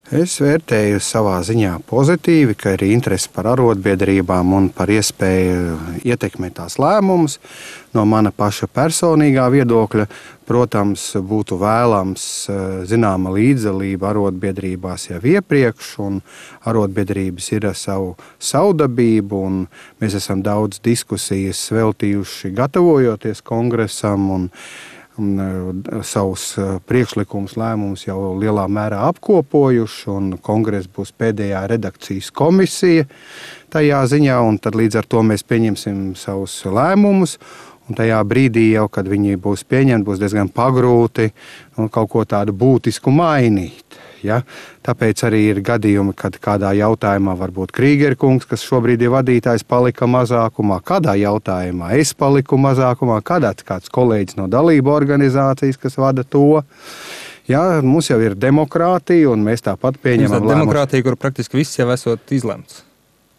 Es vērtēju savā ziņā pozitīvi, ka ir interese par arotbiedrībām un par iespēju ietekmēt tās lēmumus. No mana paša personīgā viedokļa, protams, būtu vēlams zināma līdzdalība arotbiedrībās jau iepriekš, un arotbiedrības ir savu savdabību, un mēs esam daudz diskusijas veltījuši gatavojoties kongresam, un savus priekšlikumus, lēmumus jau lielā mērā apkopojuši, un kongress būs pēdējā redakcijas komisija tajā ziņā, un tad līdz ar to mēs pieņemsim savus lēmumus, un tajā brīdī jau, kad viņi būs pieņemti, būs diezgan pagrūti kaut ko tādu būtisku mainīt. Ja? Tāpēc arī ir gadījumi, kad kādā jautājumā varbūt Krīgera kungs, kas šobrīd ir vadītājs, palika mazākumā, kādā jautājumā es paliku mazākumā, kāds kolēģis no dalību organizācijas, kas vada to. Ja? Mums jau ir demokrātija, un mēs tāpat pieņemam lēmumus. Demokrātija, kur praktiski viss jau esot izlemts.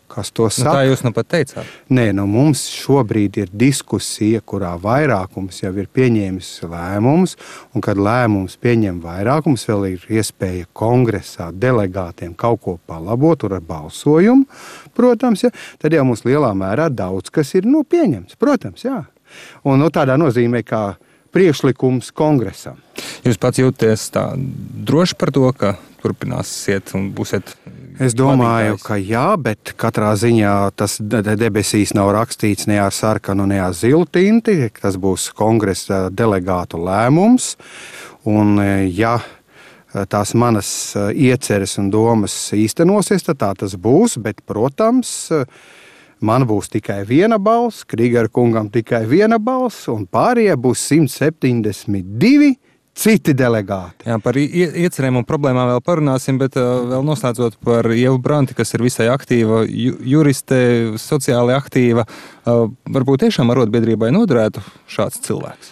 Kas to saka? Tā jūs nu pat teicāt. Nē, mums šobrīd ir diskusija, kurā vairākums jau ir pieņēmis lēmumus, un kad lēmums pieņem vairākums, vēl ir iespēja kongresā delegātiem kaut ko palabot, tur ar balsojumu, protams, ja, tad jau mums lielā mērā daudz kas ir pieņemts, protams, jā. Un tādā nozīmē, kā priekšlikums kongresam. Jūs pats jūties tā droši par to, ka turpināsiet un būsiet Es domāju, vadītājs? ka jā, bet katrā ziņā tas debesīs nav rakstīts ne ar sarkanu, ne ar zilu tinti. Tas būs kongresa delegātu lēmums. Un ja tās manas ieceres un domas īstenosies, tad tā tas būs. Bet, protams, man būs tikai viena balss, Krīgera kungam tikai viena balss, un pārējie būs 172 citi delegāti. Jā, par iecerēm un problēmām vēl parunāsim, bet vēl noslēdzot par Ievu Branti, kas ir visai aktīva juriste, sociāli aktīva. Varbūt tiešām arotbiedrībai noderētu šāds cilvēks?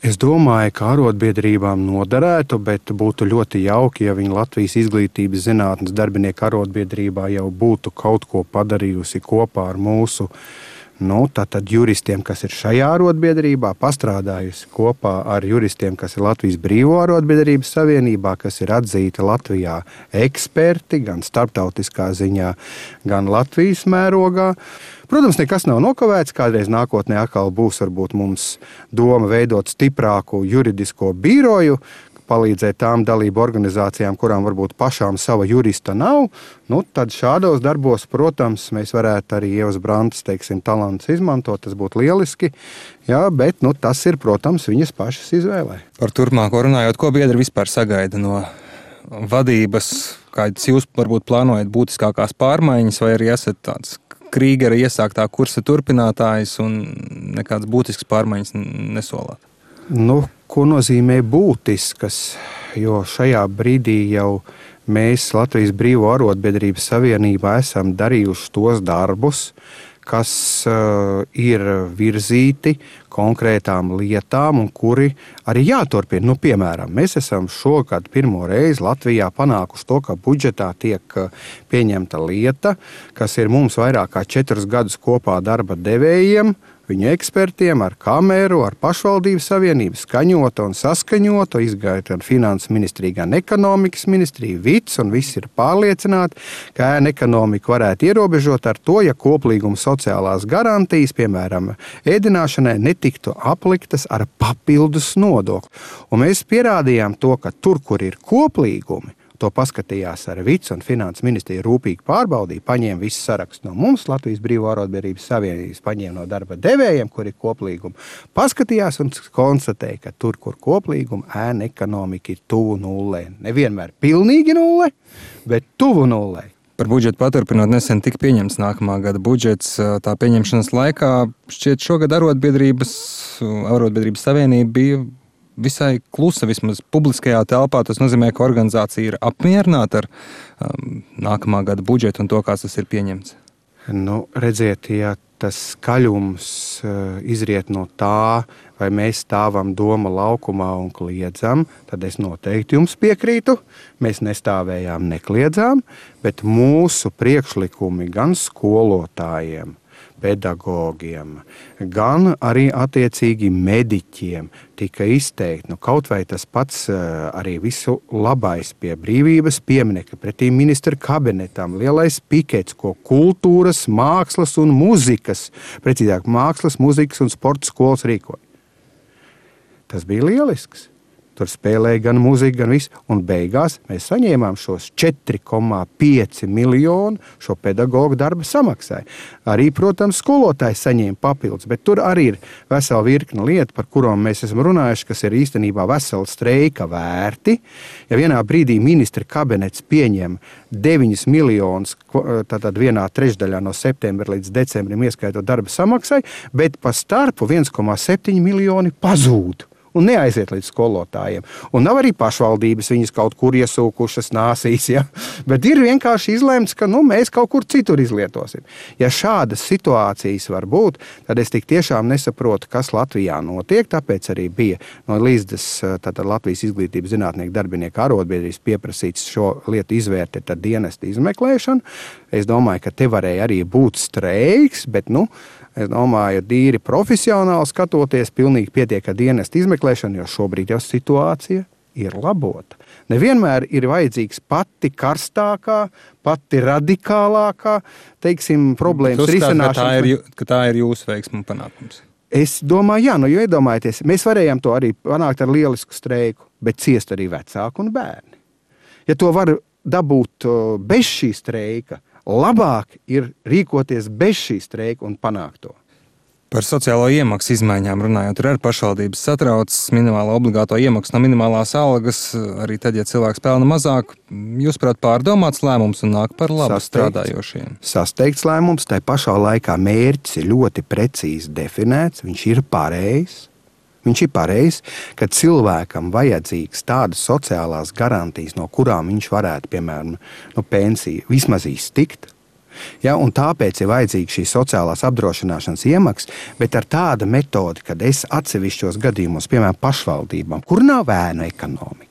Es domāju, ka arotbiedrībām noderētu, bet būtu ļoti jauki, ja viņa Latvijas izglītības zinātnes darbinieku arotbiedrībā jau būtu kaut ko padarījusi kopā ar mūsu tātad juristiem, kas ir šajā arotbiedrībā, pastrādājusi kopā ar juristiem, kas ir Latvijas Brīvo arotbiedrības savienībā, kas ir atzīti Latvijā eksperti, gan starptautiskā ziņā, gan Latvijas mērogā. Protams, nekas nav nokavēts, kādreiz nākotnē atkal būs varbūt mums doma veidot stiprāku juridisko biroju, palīdzēt tām dalību organizācijām, kurām varbūt pašām sava jurista nav, tad šādos darbos, protams, mēs varētu arī Ievas Brantes, talants izmantot, tas būtu lieliski, jā, bet tas ir, protams, viņas pašas izvēlē. Par turpmāko runājot, ko biedri vispār sagaida no vadības, kādas jūs varbūt plānojat būtiskākās pārmaiņas, vai arī esat tāds Krīgera iesāktā kursa turpinātājs un nekādas būtiskas pārmaiņas nesolāt? Ko nozīmē būtiskas, jo šajā brīdī jau mēs Latvijas Brīvo arotbiedrības savienībā esam darījuši tos darbus, kas ir virzīti konkrētām lietām un kuri arī jāturpina. Piemēram, mēs esam šogad pirmo reizi Latvijā panākuši to, ka budžetā tiek pieņemta lieta, kas ir mums vairāk kā 4 gadus kopā darba devējiem, viņu ekspertiem, ar kameru, ar pašvaldības savienību skaņota un saskaņota, izgāja gan finanses ministrija, gan ekonomikas ministrija, vids, un visi ir pārliecināti, ka ēna ekonomika varētu ierobežot ar to, ja koplīguma sociālās garantijas, piemēram, ēdināšanai, netiktu apliktas ar papildus nodokli. Un mēs pierādījām to, ka tur, kur ir koplīgumi, to paskatījās ar vids un finanses ministriju rūpīgi pārbaudīja, paņēma visu sarakstu no mums, Latvijas Brīvo arotbiedrības savienības, paņēma no darba devējiem, kur ir koplīgumi, paskatījās un konstatēja, ka tur, kur koplīgumi, ēna ekonomika ir tuvu nullē. Nevienmēr pilnīgi nullē, bet tuvu nullē. Par budžetu paturpinot, nesen tika pieņemts nākamā gada budžets. Tā pieņemšanas laikā šķiet šogad arotbiedrības savienība bija visai klusa, vismaz publiskajā telpā. Tas nozīmē, ka organizācija ir apmierināta ar nākamā gada budžetu un to, kā tas ir pieņemts. Redziet, ja tas skaļums izriet no tā, vai mēs stāvam Doma laukumā un kliedzam, tad es noteikti jums piekrītu. Mēs nestāvējām, nekliedzām, bet mūsu priekšlikumi gan skolotājiem, pedagogiem, gan arī attiecīgi mediķiem tika izteikti, kaut vai tas pats arī visu labais pie brīvības pieminekļa pretī ministra kabinetam, lielais pikets, ko kultūras, mākslas un muzikas, precīzāk mākslas, muzikas un sporta skolas rīkoja. Tas bija lielisks. Tur spēlēja gan mūzika, gan viss. Un beigās mēs saņēmām šos 4,5 miljonu šo pedagoģu darba samaksai. Arī, protams, skolotājs saņēma papildus, bet tur arī ir vesela virkne lietu, par kurām mēs esam runājuši, kas ir īstenībā vesela streika vērti. Ja vienā brīdī ministra kabinets pieņem 9 miljonus, tātad 1/3 no septembra līdz decembrim ieskaitot darba samaksai, bet pa starpu 1,7 miljoni pazūd. Un neaiziet līdz skolotājiem. Un nav arī pašvaldības viņas kaut kur iesūkušas nāsīs, ja? Bet ir vienkārši izlemts, ka mēs kaut kur citur izlietosim. Ja šādas situācijas var būt, tad es tik tiešām nesaprotu, kas Latvijā notiek, tāpēc arī bija no Līsdas, tātad Latvijas izglītības zinātnieku darbinieku arotbiedrības pieprasīts šo lietu izvērtēt ar dienesta izmeklēšanu. Es domāju, ka te varēja arī būt streiks, bet, es domāju, tīri profesionāli skatoties, pilnīgi pietiek ar dienesta izmeklēšanu, jo šobrīd jau situācija ir labota. Nevienmēr ir vajadzīgs pati karstākā, pati radikālākā, problēmas risināšana. Ka tā ir jūsu veiksmu panākums. Es domāju, jā, jo iedomājieties, mēs varējām to arī panākt ar lielisku streiku, bet ciest arī vecāki un bērni. Ja to var dabūt bez šī streika, labāk ir rīkoties bez šī streika un panākt to. Par sociālo iemaksu izmaiņām runājot, tur arī pašvaldības satrauc minimālo obligāto iemaksu no minimālās algas, arī tad, ja cilvēks pelna mazāk. Jūsuprāt, pārdomāts lēmums un nāk par labu strādājošiem? Sasteigts lēmums, tai pašā laikā mērķis ir ļoti precīzi definēts, viņš ir pareizs. Viņš ir pareizs, ka cilvēkam vajadzīgs tādas sociālās garantijas, no kurām viņš varētu, piemēram, pensiju vismaz iztikt. Ja, un tāpēc ir vajadzīga šī sociālās apdrošināšanas iemaksa, bet ar tādu metodi, kad es atsevišķos gadījumos, piemēram, pašvaldībām, kur nav ēnu ekonomika,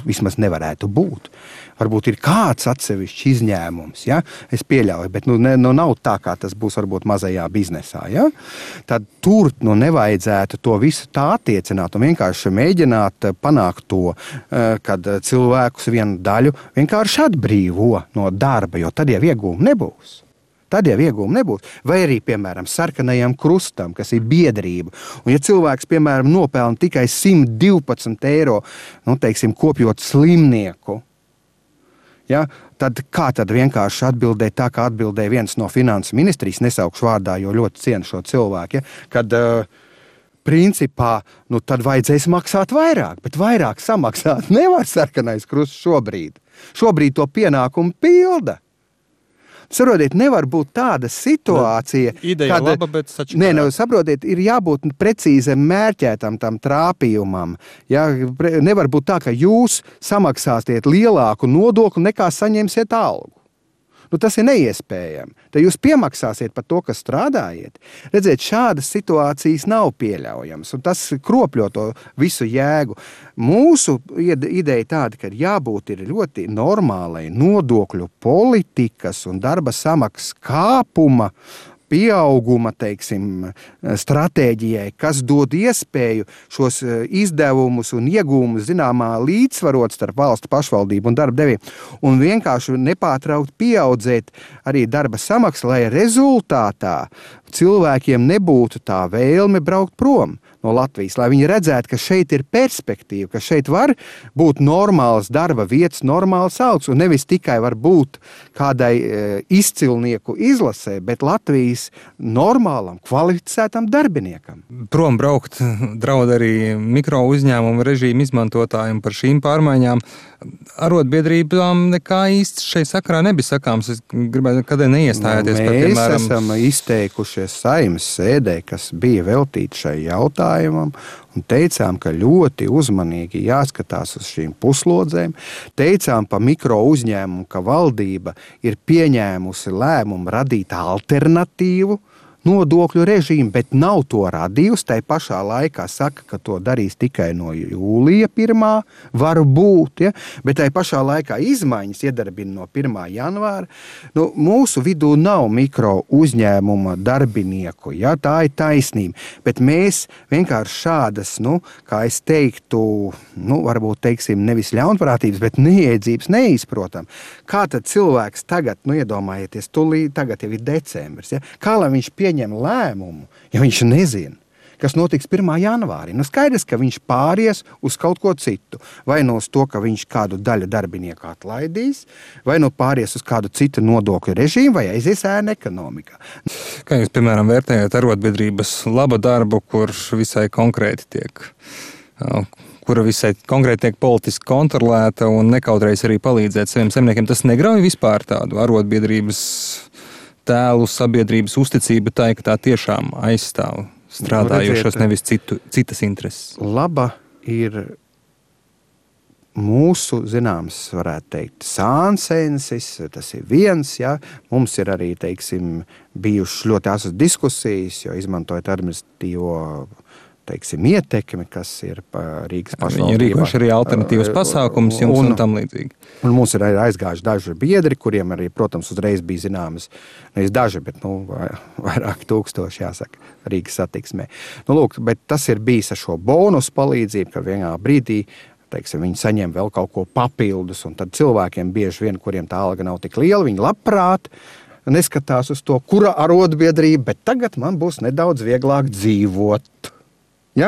vismaz nevarētu būt. Varbūt ir kāds atsevišķs izņēmums, ja? Es pieļauju, bet nav tā, kā tas būs varbūt mazajā biznesā. Ja? Tad tur nevajadzētu to visu tā attiecināt un vienkārši mēģināt panākt to, kad cilvēkus vienu daļu vienkārši atbrīvo no darba, jo tad jau iegūmi nebūs. Vai arī, piemēram, sarkanajam krustam, kas ir biedrība. Un ja cilvēks, piemēram, nopelna tikai 112 eiro, kopjot slimnieku, ja, tad kā tad vienkārši atbildēt tā, kā atbildēja viens no finansu ministrijas, nesaukšu vārdā, jo ļoti cienu šo cilvēku, ja, kad principā, tad vajadzēs maksāt vairāk, bet vairāk samaksāt nevar sarkanais krusts šobrīd. Šobrīd to pienākumu pilda. Saprotiet, nevar būt tāda situācija, ideja kad, laba, bet sačakarā. Saprotiet, ir jābūt precīzam mērķētam tam trāpījumam. Ja? Nevar būt tā, ka jūs samaksāsiet lielāku nodokli nekā saņemsiet algu. Tas ir neiespējami. Tad jūs piemaksāsiet par to, kas strādājiet. Redziet, šādas situācijas nav pieļaujamas, un tas kropļo to visu jēgu. Mūsu ideja tāda, ka jābūt ir ļoti normālai nodokļu politikas un darba samaksas kāpuma, pieauguma, stratēģijai, kas dod iespēju šos izdevumus un iegūmus zināmā līdzsvarot starp valsts pašvaldību un darba devējiem un vienkārši nepārtraukt pieaudzēt arī darba samaksu, lai rezultātā cilvēkiem nebūtu tā vēlme braukt prom no Latvijas, lai viņi redzētu, ka šeit ir perspektīva, ka šeit var būt normāls darba vietas, normāls algas, un nevis tikai var būt kādai izcilnieku izlasē, bet Latvijas normālam, kvalificētam darbiniekam. Prom braukt draud arī mikro uzņēmumu režīmu izmantotājiem par šīm pārmaiņām. Arotbiedrībām nekā īsti šai sakarā nebija sakāms. Es gribētu, kādēļ neiestājāties par, piemēram... Mēs esam izteikušies Saeimas sēdē, kas bija veltīta šai jautājumam, un teicām, ka ļoti uzmanīgi jāskatās uz šīm puslodzēm. Teicām pa mikro uzņēmumu, ka valdība ir pieņēmusi lēmumu radīt alternatīvu nodokļu režīmu, bet nav to radījusi. Tai pašā laikā saka, ka to darīs tikai no jūlija 1. varbūt, ja? Bet tai pašā laikā izmaiņas iedarbina no 1. janvāra. Mūsu vidū nav mikro uzņēmuma darbinieku, ja? Tā ir taisnība. Bet mēs vienkārši šādas, kā es teiktu, varbūt teiksim nevis ļaunprātības, bet neiedzības neizprotam. Kā tad cilvēks tagad, iedomājieties, tagad jau ir decembris, ja? Kā lai viņš pieņem lēmumu, ja viņš nezina, kas notiks 1. janvārī? Skaidrs, ka viņš pāries uz kaut ko citu. Vai uz to, ka viņš kādu daļu darbinieku atlaidīs, vai pāries uz kādu citu nodokļu režīmu, vai aizies ēna ekonomikā. Kā jūs, piemēram, vērtējat arotbiedrības laba darbu, kur visai konkrēti tiek politiski kontrolēta un nekautrējas arī palīdzēt saviem zemniekiem? Tas negrauj vispār tādu arotbiedrības tēlu, sabiedrības uzticību tai, ka tā tiešām aizstāv strādājošos, nevis citas intereses. Laba ir mūsu, zināms, varētu teikt, sānsensis, tas ir viens, ja. Mums ir arī, teiksim, bijušas ļoti asas diskusijas, jo izmantojot administratīvo, teiksim, ietekmi, kas ir Rīgas pašvaldībā. Viņi rīkoši arī alternatīvas pasākumus jums un tam līdzīgi. Un mums ir aizgājuši daži biedri, kuriem arī, protams, uzreiz bija zināmas, nevis daži, bet vairāk tūkstoši, jāsaka, Rīgas satiksmē. Lūk, bet tas ir bijis ar šo bonusu palīdzību, ka vienā brīdī, teiksim, viņi saņem vēl kaut ko papildus, un tad cilvēkiem bieži vien, kuriem tā alga nav tik liela, viņi labprāt neskatās uz to, kura arotbiedrība, bet tagad man būs nedaudz vieglāk dzīvot. Ja?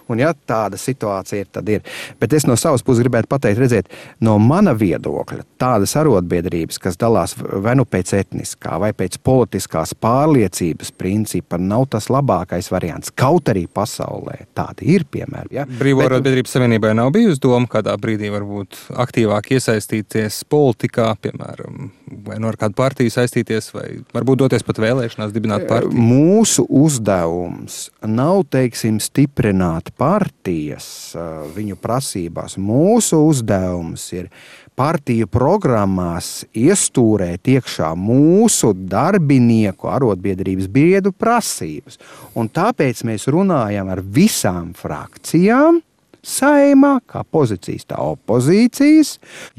Un ja tāda situācija ir, tad ir. Bet es no savas puses gribētu pateikt, redziet, no mana viedokļa tādas arotbiedrības, kas dalās vai pēc etniskā vai pēc politiskās pārliecības principa, nav tas labākais variants. Kaut arī pasaulē tādi ir piemēri. Ja? Brīvo arotbiedrības savienībai nav bijusi doma kādā brīdī varbūt aktīvāk iesaistīties politikā, piemēram, vai ar kādu partiju saistīties, vai varbūt doties pat vēlēšanās dibināt partiju? Mūsu uzdevums nav, teiksim, stiprināt partijas viņu prasībās. Mūsu uzdevums ir partiju programmās iestūrēt iekšā mūsu darbinieku arotbiedrības biedru prasības. Un tāpēc mēs runājam ar visām frakcijām Saeimā, kā pozīcijas, tā opozīcijas.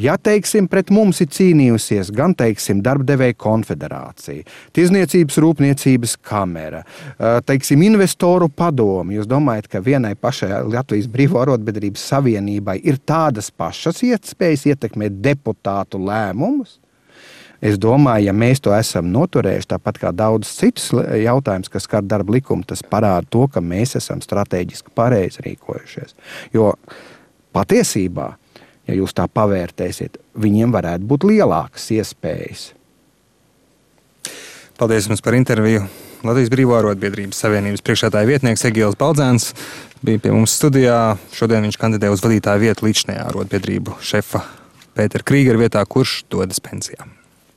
Ja, teiksim, pret mums ir cīnījusies gan, teiksim, Darbdevēju konfederācija, Tirzniecības rūpniecības kamera, teiksim, investoru padomi. Jūs domājat, ka vienai pašai Latvijas Brīvo arotbiedrības savienībai ir tādas pašas iespējas ietekmēt deputātu lēmumus? Es domāju, ja mēs to esam noturējuši, tāpat kā daudz citus jautājumus, kas skar darba likumu, tas parāda to, ka mēs esam strateģiski pareizi rīkojušies. Jo patiesībā, ja jūs tā pavērtēsiet, viņiem varētu būt lielākas iespējas. Paldies jums par interviju. Latvijas Brīvo arotbiedrības savienības priekšsēdētāja vietnieks Egils Baldzēns bija pie mums studijā. Šodien viņš kandidē uz vadītāju vietu līdzinājā arotbiedrību šefa Pētera Krīgera vietā, kurš dodas pensijā.